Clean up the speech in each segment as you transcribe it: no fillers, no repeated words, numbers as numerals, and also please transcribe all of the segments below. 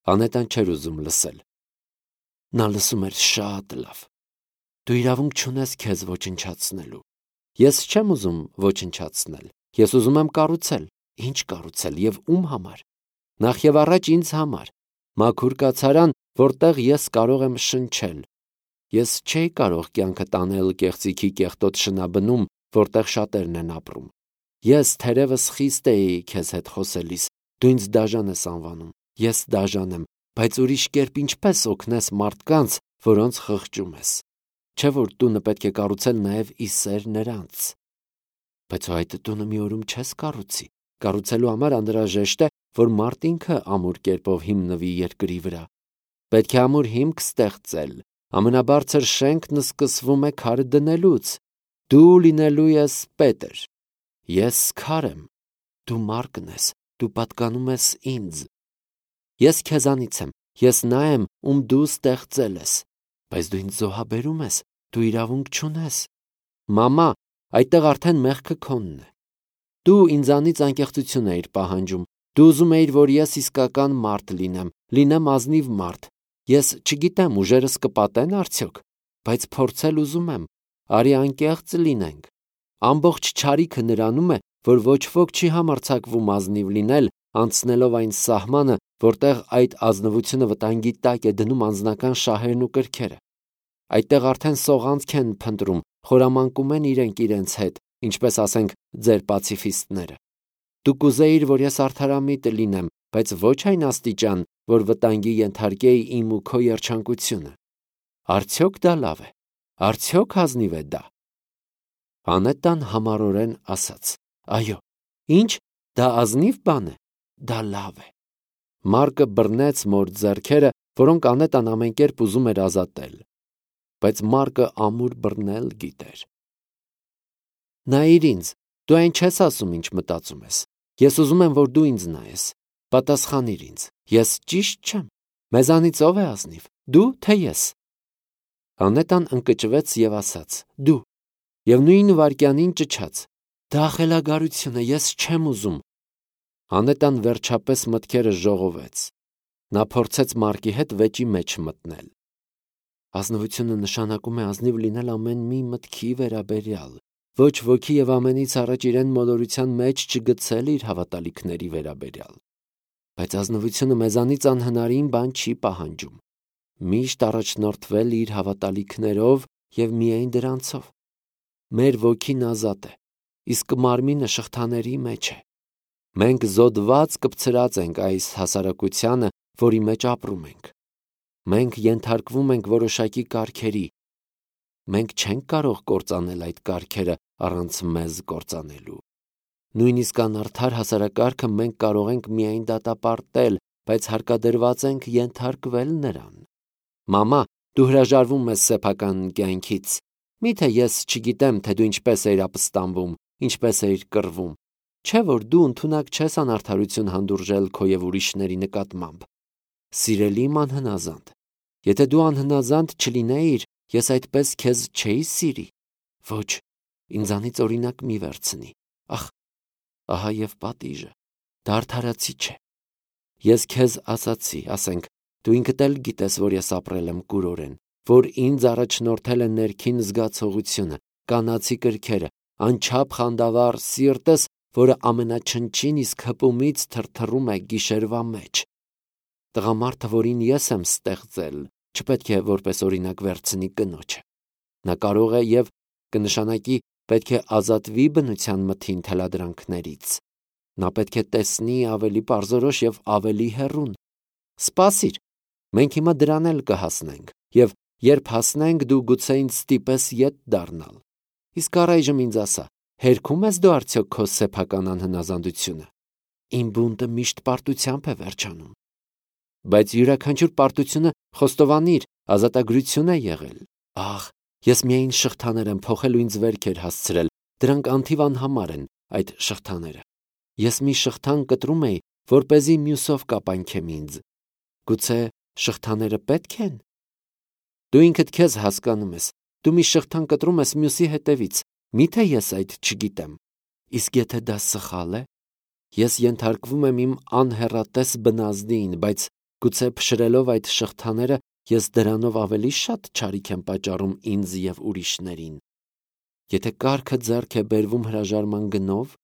Անետան չէր ուզում լսել։ Նա լսում էր շատ լավ։ Դու իրավունք չունես քեզ ոչնչացնելու։ Ես չեմ ուզում ոչնչացնել։ Ես ուզում եմ կառուցել։ Ինչ կառուցել եւ ում համար։ Նախ եւ առաջ ինձ համար։ Մաքուր կացարան, որտեղ ես կարող եմ շնչել։ Ես չէի կարող կյանքը տանել կեղծիքի կեղտոտ շնաբնում, որտեղ շատերն են ապրում։ Ես թերևս խիստ էի քեզ հետ խոսելիս, դու ինձ դաժան ես անվանում։ Ես դաժան եմ, բայց ուրիշ կերպ ինչպես օգնես մարդկանց, որոնց խղճում ես։ Չէ՞ որ տունը պետք է կառուցել նաև ի սեր նրանց։ Բայց այդ տունը մի օրում չես կառուցի։ Կառուցելու համար անհրաժեշտ է, որ մարդ ինքը ամուր կերպով հիմնվի երկրի վրա։ Պետք է ամուր հիմք ստեղծել։ Ամենաբարձր շենքն սկսվում է քարը դնելուց։ Դու լինելու ես Պետր։ Ես քար եմ։ Դու Մարկն ես։ Դու պատկանում ես ինձ։ Ես քեզանից եմ։ Ես նա եմ, ում դու ստեղծել ես։ Բայց դու ինձ զոհաբերում ես։ Դու իրավունք չունես։ Մամա, այդտեղ արդեն մեղքը քոնն է։ Դու ինձանից անկեղծություն էիր պահանջում։ Դու ուզում էիր, որ ես իսկական մարդ լինեմ ազնիվ մարդ։ Ես չգիտեմ, ուժերս կպատեն արդյոք, բայց փորձել ուզում եմ։ Արի անկեղծ լինենք։ Ամբողջ չարիքը նրանում է, որ ոչ ոք չի համարձակվում ազնիվ լինել, անցնելով այն սահմանը, որտեղ այդ ազնվությունը վտանգի տակ է դնում անձնական շահերն ու կրքերը։ Այդտեղ արդեն սողանցք են փնտրում, խորամանկում են իրենք իրենց հետ, ինչպես ասենք ձեր պացիֆիստները։ Դու կուզեիր, որ ես արդարամիտ լինեմ, բայց ոչ այն աստիճան, որ վտանգի ենթարկեի իմ ու քո երջանկությունը։ Արդյոք դա լավ է։ Արդյոք ազնիվ է դա։ Անետան համառորեն ասաց. Այո, ինչ, դա ազնիվ բան է, դա լավ է։ Մարկը բռնեց մոր ձեռքերը, որոնք Անետան ամեն կերպ ուզում էր ազատել։ Բայց Մարկը ամուր բռնել գիտեր։ Նայիր ինձ, դու այն չես ասում, ինչ մտածում ես։ Ես ուզում եմ, որ դու ինձ նայես։ Պատասխանիր ինձ։ Ես ճիշտ չեմ։ Մեզանից ով է ազնիվ։ Դու թե ես։ Անետան ընկճվեց եւ ասաց. Դու։ Եվ նույն վայրկյանին ճչաց. Դա խելագարություն է, ես չեմ ուզում։ Անետան վերջապես մտքերը ժողովեց։ Նա փորձեց Մարկի հետ վեճի մեջ մտնել։ Ազնվությունը նշանակում է ազնիվ լինել ամեն մի մտքի վերաբերյալ, ոչ ոքի եւ ամենից առաջ իրեն մոլորության մեջ չգցել իր հավատալիքների վերաբերյալ։ Բայց ազնվությունը մեզանից անհնարին բան չի պահանջում։ Միշտ առաջնորդվել իր հավատալիքներով եւ միայն դրանցով։ Մեր ոգին ազատ է, իսկ մարմինը շղթաների մեջ է։ Մենք զոդված կպցրած ենք այս հասարակությանը, որի մեջ ապրում ենք։ Մենք ենթարկվում ենք որոշակի կարգերի։ Մենք չենք կարող կործանել այդ կարգերը առանց մեզ կործանելու։ Նույնիսկ անարդար հասարակարգը մենք կարող ենք միայն դատապարտել, բայց հարկադրված ենք ենթարկվել նրան։ Մամա, դու հրաժարվում ես սեփական կյանքից։ Միթե ես չգիտեմ, թե դու ինչպես էիր ապստամբում, ինչպես էիր կռվում։ Չէ՞ որ դու ընդունակ չես անարդարություն հանդուրժել քո եւ ուրիշների նկատմամբ։ Սիրելի իմ անհնազանդ, եթե դու անհնազանդ չլինեիր, ես այդպես քեզ չէի սիրի։ Ոչ, ինձանից օրինակ մի վերցնի։ Ախ, ահա եւ պատիժը։ Դա արդարացի չէ։ Ես քեզ ասացի, ասենք, դու ինքդ էլ գիտես, որ ես ապրել եմ կուրորեն, որ ինձ առաջնորդել է ներքին զգացողությունը, կանացի կրքերը, անչափ խանդավառ սիրտս, որը ամենաչնչին իսկ հպումից թրթռում է գիշերվա մեջ։ Տղամարդը, որին ես եմ ստեղծել, չպետք է որպես օրինակ վերցնի կնոջը։ Նա կարող է եւ կնշանակի պետք է ազատվի բնության մթին թելադրանքներից։ Նա պետք է տեսնի ավելի պարզորոշ եւ ավելի հեռուն։ Սպասիր, մենք հիմա դրան էլ կհասնենք, եւ երբ հասնենք, դու գուցե ինձ ստիպես ետ դառնալ։ Իսկ առայժմ ինձ ասա, հերքում ես դու արդյոք քո սեփական անհնազանդությունը։ Իմ բունտը միշտ պարտությամբ է վերջանում։ Բայց յուրաքանչյուր պարտությունը խոստովանիր, ազատագրություն է եղել։ Ահ, ես միայն շղթաներ եմ փոխել ու ինձ վերքեր հասցրել։ Դրանք անթիվ անհամար են, այդ շղթաները։ Ես մի շղթան կտրում էի, որպեսզի մյուսով կապանքեմ ինձ։ Գուցե շղթաները պետք են։ Դու ինքդ քեզ հասկանում ես։ Դու մի շղթան կտրում ես մյուսի հետևից։ Միթե ես այդ չգիտեմ։ Իսկ եթե դա սխալ է, ես ենթարկվում եմ իմ անհեռատես բնազդին, բայց Գուցե փշրելով այդ շղթաները ես դրանով ավելի շատ չարիք եմ պատճառում ինձ և ուրիշներին։ Եթե կառքը ձեռք է բերվում հրաժարման գնով,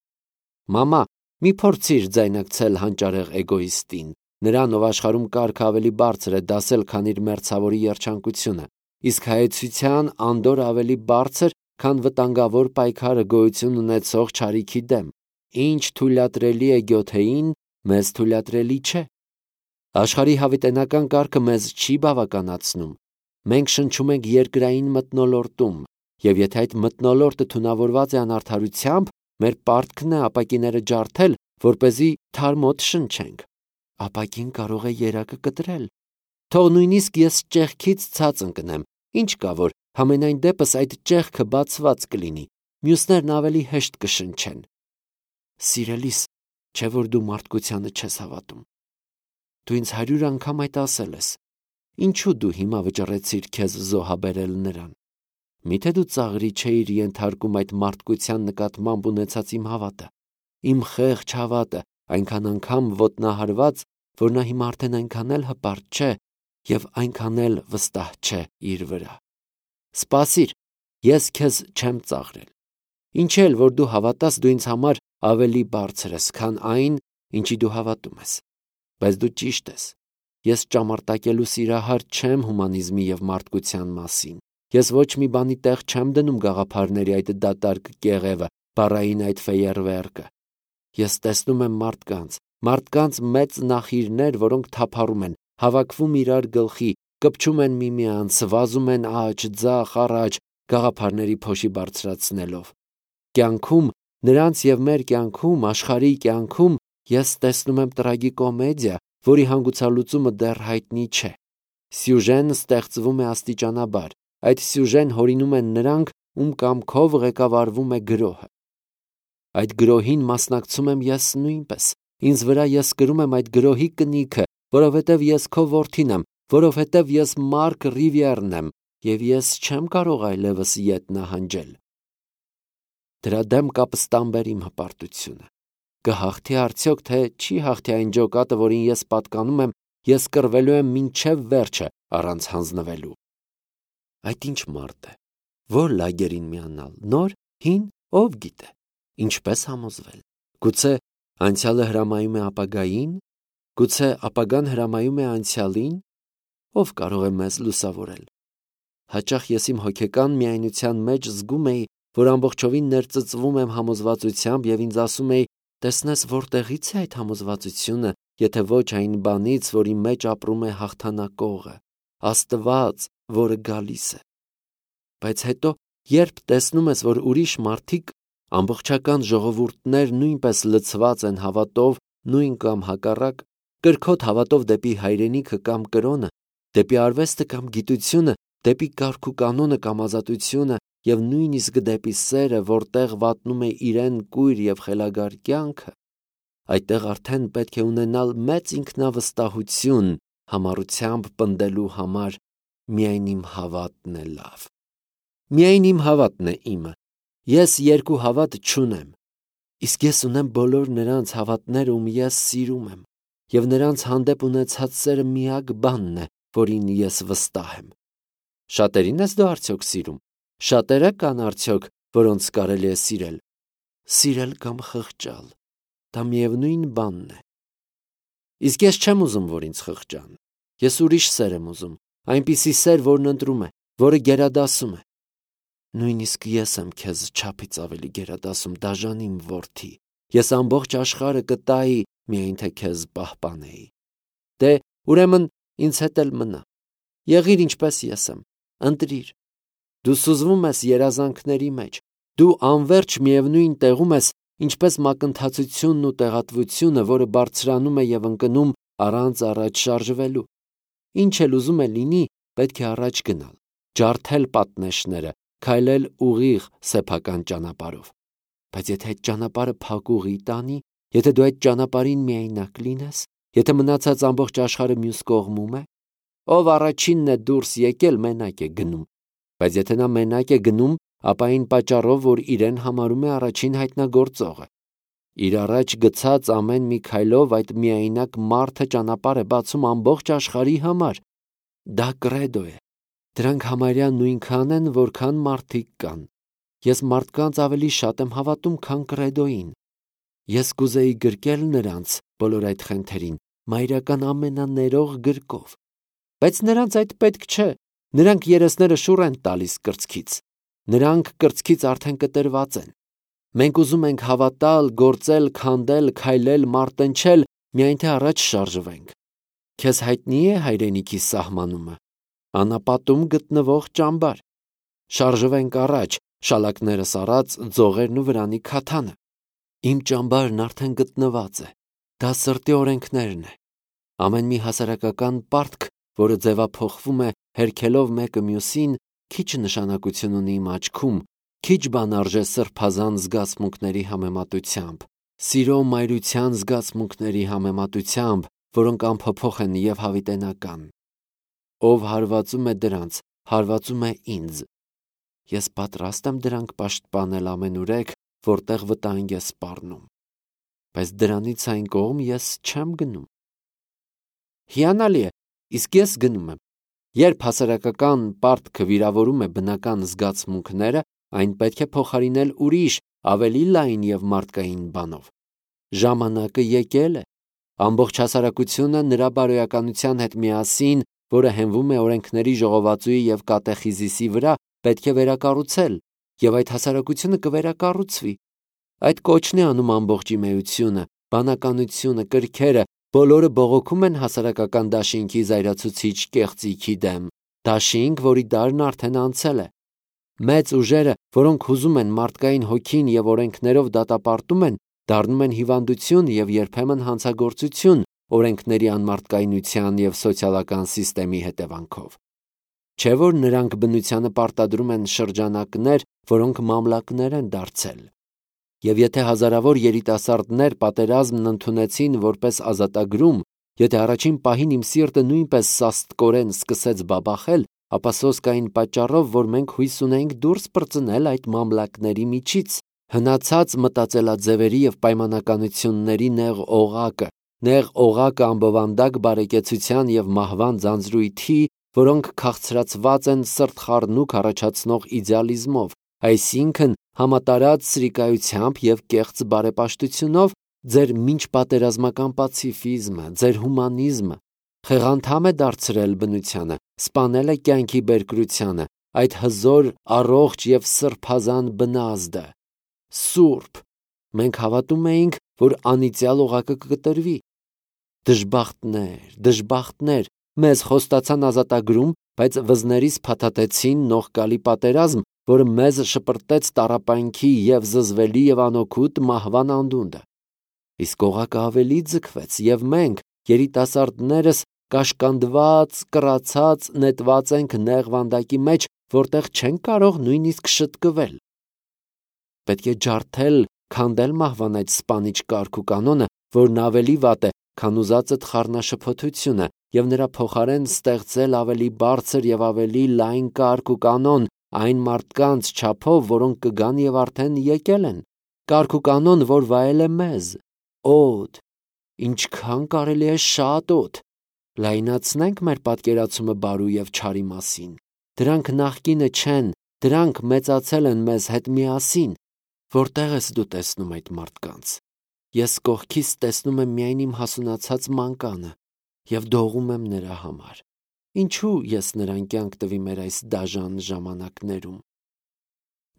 մամա, մի փորձիր ձայնակցել հանճարեղ էգոիստին, նրան, ով աշխարհում կառքը ավելի բարձր է դասել, քան իր մերձավորի երջանկությունը, իսկ հայեցության անդորը ավելի բարձր, քան վտանգավոր պայքարը գոյություն ունեցող չարիքի դեմ։ Ինչ թույլատրելի է գյոթեին, մեզ թույլատրելի չէ։ Աշխարհի հավիտենական կարգը մեզ չի բավականացնում։ Մենք շնչում ենք երկրային մթնոլորտում, եւ եթե այդ մթնոլորտը թունավորված է անարդարությամբ, մեր պարտքն է ապակիները ջարդել, որպեսզի թարմոտ շնչենք։ Ապակին կարող է երակը կտրել։ Թող նույնիսկ ես ճեղքից ցած ընկնեմ, ինչ կա որ, համենայն դեպս այդ ճեղքը բացված կլինի, մյուսներն ավելի հեշտ կշնչեն։ Սիրելիս, չէ որ դու մարդկությանը չես հավատում։ Դու ինձ 100 անգամ այդ ասել ես։ Ինչու դու հիմա վճռեցիր քեզ զոհաբերել նրան։ Միթե դու ծաղրի չէիր ենթարկում այդ մարդկության նկատմամբ ունեցած իմ հավատը, իմ խեղճ հավատը, այնքան անգամ ոտնահարված, որ նա հիմա արդեն այնքան էլ հպարտ չէ եւ այնքան էլ վստահ չէ իր վրա։ Սպասիր, ես քեզ չեմ ծաղրել։ Ինչ էլ որ դու հավատաս, դու ինձ համար ավելի բարձր ես, քան այն, ինչի դու հավատում ես։ Բայց դու ճիշտ ես։ Ես ճամարտակելու սիրահար չեմ հումանիզմի եւ մարդկության մասին։ Ես ոչ մի բանի տեղ չեմ դնում գաղափարների այդ դատարկ կեղևը, բառային այդ ֆեյերվերկը։ Ես տեսնում եմ մարդկանց մեծ նախիրներ, որոնք թափառում են, հավաքվում իրար գլխի, կպչում են միմյանց, վազում են աջ, ձախ, առաջ, գաղափարների փոշի բարձրացնելով։ Կյանքում, նրանց եւ մեր կյանքում, աշխարհի կյանքում ես տեսնում եմ տրագիկոմեդիա, որի հանգուցալուծումը դեռ հայտնի չէ։ Սյուժեն ստեղծվում է աստիճանաբար։ Այդ սյուժեն հորինում են նրանք, ում կամքով ղեկավարվում է գրոհը։ Այդ գրոհին մասնակցում եմ ես նույնպես։ Ինձ վրա ես կրում եմ այդ գրոհի կնիքը, որովհետև ես քո որդին եմ, որովհետև ես Մարկ Ռիվիերն եմ, եւ ես չեմ կարող այլևս ետ նահանջել։ Դրա դեմ կապստամբեր իմ հպարտությունը։ Կհաղթի արդյոք, թե չի հաղթի այն ջոկատը, որին ես պատկանում եմ, ես կռվելու եմ մինչև վերջը առանց հանձնվելու։ Այդ ինչ մարդ է, որ լագերին միանալ, նոր, հին, ով գիտե, ինչպես համոզվել։ Գուցե անցյալը հրամայում է ապագային, գուցե ապագան հրամայում է անցյալին, ով կարող է մեզ լուսավորել։ Հաճախ ես իմ հոգեկան միայնության մեջ զգում էի, որ ամբողջովին ներծծվում եմ համոզվածությամբ եւ ինձ ասում էի, տեսնես որտեղից է այդ համոզվածությունը, եթե ոչ այն բանից, որի մեջ ապրում է հաղթանակողը, Աստված, որը գալիս է։ Բայց հետո, երբ տեսնում ես, որ ուրիշ մարդիկ, ամբողջական ժողովուրդներ նույնպես լցված են հավատով, նույն կամ հակառակ, կրքոտ հավատով դեպի հայրենիքը կամ կրոնը, դեպի արվեստը կամ գիտությունը, դեպի կարգ ու կանոնը կամ ազատությունը եւ նույնիսկ դեպի սերը, որտեղ վատնում է իրեն կույր եւ խելագար կյանքը, այդտեղ արդեն պետք է ունենալ մեծ ինքնավստահություն համառությամբ պնդելու համար միայն իմ հավատն է լավ։ Միայն իմ հավատն է իմը։ Ես երկու հավատ չունեմ։ Իսկ ես ունեմ բոլոր նրանց հավատները, ում ես սիրում եմ, եւ նրանց հանդեպ ունեցած սերը միակ բանն է, որին ես վստահ եմ։ Շատերին ես դու արդյոք սիրում։ Շատերը կան արդյոք, որոնց կարելի է սիրել։ Սիրել կամ խղճալ, դա միևնույն բանն է։ Իսկ ես չեմ ուզում, որ ինձ խղճան։ Ես ուրիշ սեր եմ ուզում, այնպիսի սեր, որն ընտրում է, որը գերադասում է։ Նույնիսկ ես եմ քեզ չափից ավելի գերադասում, դաժան իմ որդի։ Ես ամբողջ աշխարհը կտայի, միայն թե քեզ պահպանեի։ Դե, ուրեմն ինձ հետ էլ մնա։ Եղիր ինչպես ես եմ, ընտրիր։ Դու սուզվում ես երազանքների մեջ։ Դու անverջ միևնույն տեղում ես, ինչպես մակընթացությունն ու տեղատվությունը, որը բարձրանում է եւ ընկնում առանց առաջ շարժվելու։ Ինչ էլ ուզում է լինի, պետք է առաջ գնալ, ջարդել պատնեշները, քայլել ուղիղ սեփական ճանապարհով։ Բայց եթե այդ ճանապարհը փակուղի տանի, եթե դու այդ ճանապարհին միայնակ լինես, եթե մնացած ամբողջ աշխարհը մյուս կողմում է, ով առաջինն է դուրս եկել, մենակ է գնում։ Բայց եթե նա մենակ է գնում, ապա այն պատճառով, որ իրեն համարում է առաջին հայտնագործողը։ Իր առաջ գցած ամեն մի քայլով այդ միայնակ մարդը ճանապարհ է բացում ամբողջ աշխարհի համար։ Դա կրեդո է։ Դրանք համարյա նույնքան են, որքան մարդիկ կան։ Ես մարդկանց ավելի շատ եմ հավատում, քան կրեդոին։ Ես կուզեի գրկել նրանց բոլոր այդ խենթերին մայրական ամենաներող գրկով։ Բայց նրանց այդ պետք չէ։ Նրանք երեսները շուռ են տալիս կրծքից։ Նրանք կրծքից արդեն կտրված են։ Մենք ուզում ենք հավատալ, գործել, քանդել, քայլել, մարտնչել, միայն թե առաջ շարժվենք։ Քեզ հայտնի է հայրենիքի սահմանումը, անապատում գտնվող ճամբար։ Շարժվենք առաջ, շալակներս առած, ձողերն ու վրանի քաթանը։ Իմ ճամբարն արդեն գտնված է։ Դա սրտի օրենքներն է։ Ամեն մի հասարակական պարտք, որը ձևափոխվում է հերքելով մեկը մյուսին, քիչ նշանակություն ունի իմ աչքում, քիչ բան արժե սրբազան զգացմունքների համեմատությամբ, սիրո մայրության զգացմունքների համեմատությամբ, որոնք անփոփոխ են և հավիտենական։ Ով հարվածում է դրանց, հարվածում է ինձ։ Ես պատրաստ եմ դրանք պաշտպանել ամենուրեք, որտեղ վտանգ է սպառնում։ Բայց դրանից այն կողմ ես չեմ գնում։ Հիանալի է, իսկ ես գնում եմ։ Երբ հասարակական պարտքը վիրավորում է բնական զգացմունքները, այն պետք է փոխարինել ուրիշ, ավելի լայն և մարդկային բանով։ Ժամանակը եկել է։ Ամբողջ հասարակությունը նրա բարոյականության հետ միասին, որը հենվում է օրենքների ժողովածուի և կատեխիզիսի վրա, պետք է վերակառուցել, և այդ հասարակությունը կվերակառուցվի։ Այդ կոչն է անում ամբողջ իմեությունը, բանականությունը, կրքերը, բոլորը բողոքում են հասարակական դաշինքի զայրացուցիչ կեղծիքի դեմ, դաշինք, որի դարն արդեն անցել է։ Մեծ ուժերը, որոնք հուզում են մարդկային հոգին և օրենքներով դատապարտում են, դառնում են հիվանդություն և երբեմն հանցագործություն օրենքների անմարդկայնության և սոցիալական սիստեմի հետևանքով։ Չէ՞ որ նրանք բնությանը պարտադրում են շրջանակներ, որոնք մամլակներ են դարձել։ Եվ եթե հազարավոր երիտասարդներ պատերազմն ընդունեցին որպես ազատագրում, եթե առաջին պահին իմ սիրտը նույնպես սաստկորեն սկսեց բաբախել, ապա սոսկային պատճառով, որ մենք հույս ունեինք դուրս պրծնել այդ մամլակների միջից, հնացած մտածելաձևերի և պայմանականությունների նեղ օղակը ամբովանդակ բարեկեցության և մահվան ձանձրույթի, որոնք քաղցրացված են սրտխառնուկ առաջացնող իդեալիզմով, այսինքն համատարած սրիկայությամբ և կեղծ բարեպաշտությունով, ձեր մինչպատերազմական պացիֆիզմը, ձեր հումանիզմը խեղանդամ է դարձրել բնությանը, սպանել է կյանքի բերկրությանը, այդ հզոր, առողջ և սրբազան բնազդը։ Սուրբ, մենք հավատում էինք, որ անիծյալ օղակը կկտրվի։ Դժբախտներ, մեզ խոստացան ազատագրում, բայց վզներից փաթաթեցին նողկալի պատերազմ, որը մեզ շպրտեց տառապանքի և զզվելի և անօգուտ մահվան անդունդը։ Իսկ օղակը ավելի ձգվեց, և մենք, երիտասարդներս, կաշկանդված, կռացած, նետված ենք նեղ վանդակի մեջ, որտեղ չենք կարող նույնիսկ շտկվել։ Պետք է ջարդել, քանդել մահվան այդ սպանիչ կարգ ու կանոնը, որն ավելի վատ է, քան ուզածդ խառնաշփոթությունը, և նրա փոխարեն ստեղծել ավելի բարձր և ավելի լայն կարգ ու կանոն այն մարդկանց չափով, որոնք կգան և արդեն եկել են, կարգ ու կանոն, որ վայել է մեզ, օդ, ինչքան կարելի է շատ օդ։ Լայնացնենք մեր պատկերացումը բարու և չարի մասին։ Դրանք նախկինը չեն, դրանք մեծացել են մեզ հետ միասին։ Որտեղ ես դու տեսնում այդ մարդկանց։ Ես կողքից տեսնում եմ միայն իմ հասունացած մանկանը և դողում եմ նրա համար։ Ինչու ես նրան կյանք տվի մեր այս դաժան ժամանակներում։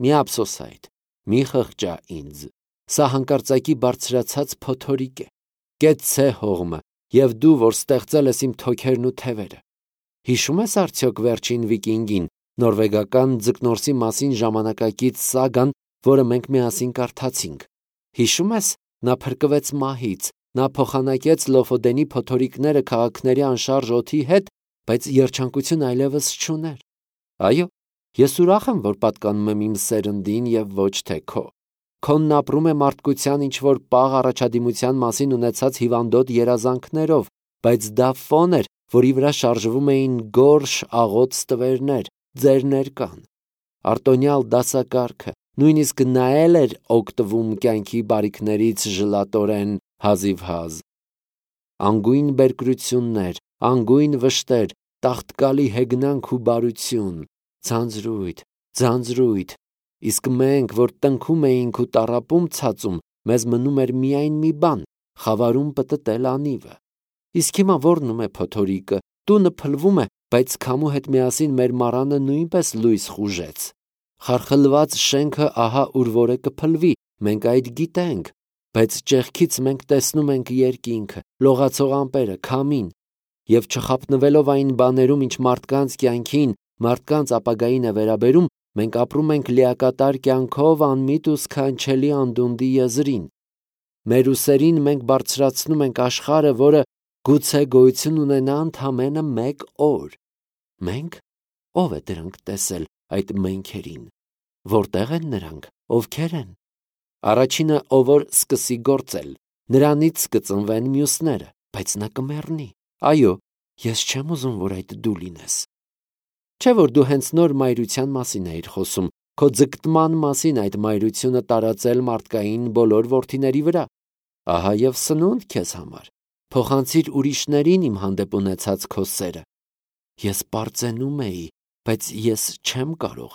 Մի ափսոս այդ, մի խղճա ինձ։ Սա հանկարծակի բարձրացած փոթորիկ է։ Կեցցե հողմը, և դու, որ ստեղծել ես իմ թոքերն ու թևերը։ Հիշում ես արդյոք վերջին վիկինգին, նորվեգական ձկնորսի մասին ժամանակակից սագան, որը մենք միասին կարդացինք։ Հիշում ես, նա փրկվեց մահից, նա փոխանակեց Լոֆոդենի փոթորիկները քաղաքների անշարժ օդի հետ, բայց երջանկություն այլևս չուներ։ Այո, ես ուրախ եմ, որ պատկանում եմ իմ սերնդին և ոչ թե քո։ Քոնն ապրում է մարդկության ինչ-որ պաղ առաջադիմության մասին ունեցած հիվանդոտ երազանքներով, բայց դա ֆոն էր, որի վրա շարժվում էին գորշ աղոտ ստվերներ, ձեր ներկան։ Արտոնյալ դասակարգը, նույնիսկ նա էլ էր օգտվում կյանքի բարիքներից ժլատորեն հազիվհազ։ Անգույն բերկրություններ, անգույն վշտեր, տաղտկալի հեգնանք ու բարություն, ձանձրույթ, իսկ մենք, որ տնքում էինք ու տառապում ցածում, մեզ մնում էր միայն մի բան՝ խավարում պտտել անիվը։ Իսկ հիմա որնում է փոթորիկը, տունը փլվում է, բայց քամու հետ միասին մեր մառանը նույնպես լույս խուժեց։ Խարխլված շենքը ահա ուր որ է կփլվի, մենք այդ գիտենք, բայց ճեղքից մենք տեսնում ենք երկինքը, լողացող ամպերը, քամին, եւ չխապնվելով այն բաներում, ինչ մարդկանց կյանքին, մարդկանց ապագային է վերաբերում, մենք ապրում ենք լիակատար կյանքով անմիտ ու սքանչելի անդունդի եզրին։ Մեր ուսերին մենք բարձրացնում ենք աշխարհը, որը գուցե գոյություն ունենա ընդամենը մեկ օր։ Մենք? Ո՞վ է դրանք տեսել, այդ մենքերին։ Որտե՞ղ են նրանք, ովքեր են։ Առաջինը, ով որ սկսի գործել, նրանից կծնվեն մյուսները, բայց նա կմեռնի։ Այո, ես չեմ ուզում, որ այդ դու լինես։ Չէ՞ որ դու հենց նոր մայրության մասին էիր խոսում, քո ձգտման մասին այդ մայրությունը տարածել մարդկային բոլոր որդիների վրա։ Ահա եւ սնունդ քեզ համար։ Փոխանցիր ուրիշներին իմ հանդեպ ունեցած քո սերը։ Ես պարծենում էի, բայց ես չեմ կարող։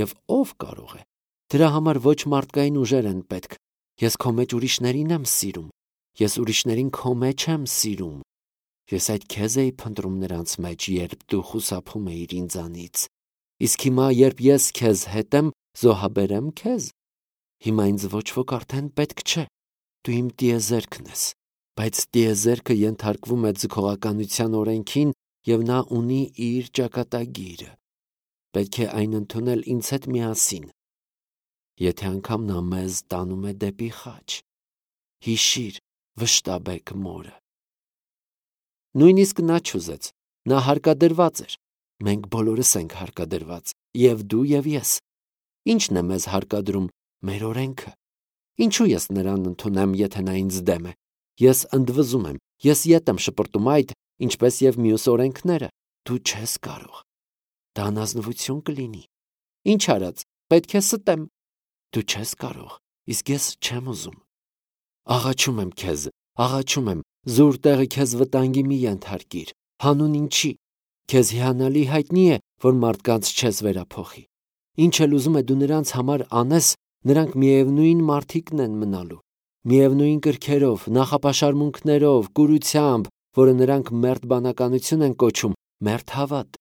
Եվ ով կարող է։ Դրա համար ոչ մարդկային ուժեր են պետք։ Ես քո մեջ ուրիշներին եմ սիրում։ Ես ուրիշներին քո մեջ եմ սիրում։ Ես այդ քեզ էի փնտրում նրանց մեջ, երբ դու խուսափում էիր ինձանից։ Իսկ հիմա, երբ ես քեզ հետ եմ, զոհաբերեմ քեզ։ Հիմա ինձ ոչ ոք արդեն պետք չէ։ Դու իմ տիեզերքն ես, բայց տիեզերքը ենթարկվում է ձգողականության օրենքին եւ նա ունի իր ճակատագիրը։ Պետք է այն ընդունել ինձ հետ միասին։ Եթե անգամ նա մեզ տանում է դեպի խաչ, հիշիր վշտաբեկ մորը։ Նույնիսկ նա չուզեց, նա հարկադրված էր։ Մենք բոլորս ենք հարկադրված, եւ դու եւ ես։ Ինչն է մեզ հարկադրում, մեր օրենքը։ Ինչու ես նրան ընդունեմ, եթե նա ինձ դեմ է։ Ես ընդվզում եմ, ես ետ եմ շպրտում այդ, ինչպես եւ մյուս օրենքները։ Դու չես կարող։ Դա անազնվություն կլինի։ Ինչ արած, պետք է ստեմ։ Դու չես կարող, իսկ ես չեմ ուզում։ Աղաչում եմ քեզ, աղաչում եմ, զուր տեղը քեզ վտանգի մի ենթարկիր։ Հանուն ինչի։ Քեզ հիանալի հայտնի է, որ մարդկանց չես վերափոխի։ Ինչ էլ ուզում է դու նրանց համար անես, նրանք միևնույն մարդիկն են մնալու։ Միևնույն կրքերով, նախապաշարմունքներով, կուրությամբ, որը նրանք մերթ բանականություն են կոչում, մերթ հավատ։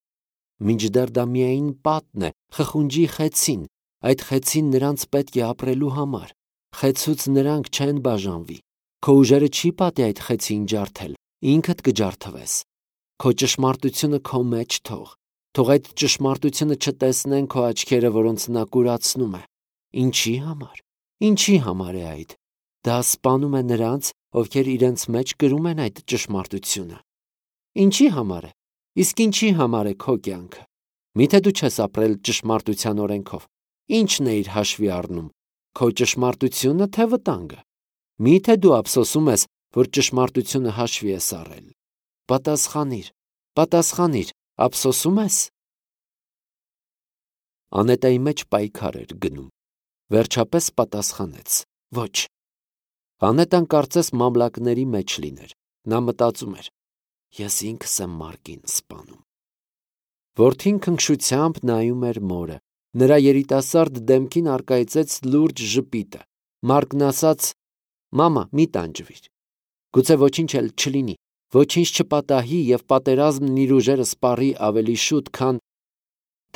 Մինչդեռ դա միայն պատն է, խխունջի խեցին, այդ խեցին նրանց պետք է ապրելու համար։ Խեցուց նրանք չեն բաժանվի։ Քո ուժերը չի պատի այդ խեցին ջարդել, ինքդ կջարդվես։ Քո ճշմարտությունը քո մեջ թող այդ ճշմարտությունը չտեսնեն քո աչքերը, որոնց նա կուրացնում է։ Ինչի համար։ Ինչի համար է այդ։ Դա սպանում է նրանց, ովքեր իրենց մեջ կրում են այդ ճշմարտությունը։ Ինչի համար է։ Իսկ ինչի համար է քո կյանքը։ Միթե դու չես ապրել ճշմարտության օրենքով։ Ինչն է իր հաշվի առնում։ Քո ճշմարտությունը թե վտանգը։ Միթե դու ափսոսում ես, որ ճշմարտությունը հաշվի ես առել։ Պատասխանիր, ափսոսում ես։ Անետայի մեջ պայքար էր գնում։ Վերջապես պատասխանեց. Ոչ։ Անետան կարծես մամլակների մեջ լիներ։ Նա մտածում էր. ես ինքս եմ մարկին սպանում։ Որդին քնքշությամբ նայում էր մորը։ Նրա երիտասարդ դեմքին առկայծեց լուրջ ժպիտը։ Մարկն ասաց. մամա, մի տանջվիր։ Գուցե ոչինչ էլ չլինի, ոչինչ չպատահի եւ պատերազմն իր ուժերը սպառի ավելի շուտ, քան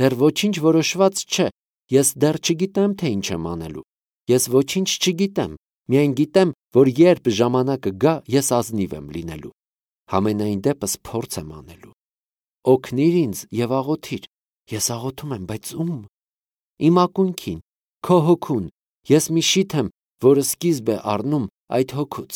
դեռ ոչինչ որոշված չէ։ Ես դեռ չգիտեմ, թե ինչ եմ անելու։ Ես ոչինչ չգիտեմ, միայն գիտեմ, որ երբ ժամանակը գա, ես ազնիվ եմ լինելու։ Համենայն դեպս փորձ եմ անելու։ Օգնիր ինձ եւ աղոթիր։ Ես աղոթում եմ, բայց ում։ Իմ ակունքին, քո հոգուն։ Ես մի շիթ եմ, որը սկիզբ է առնում այդ հոգուց։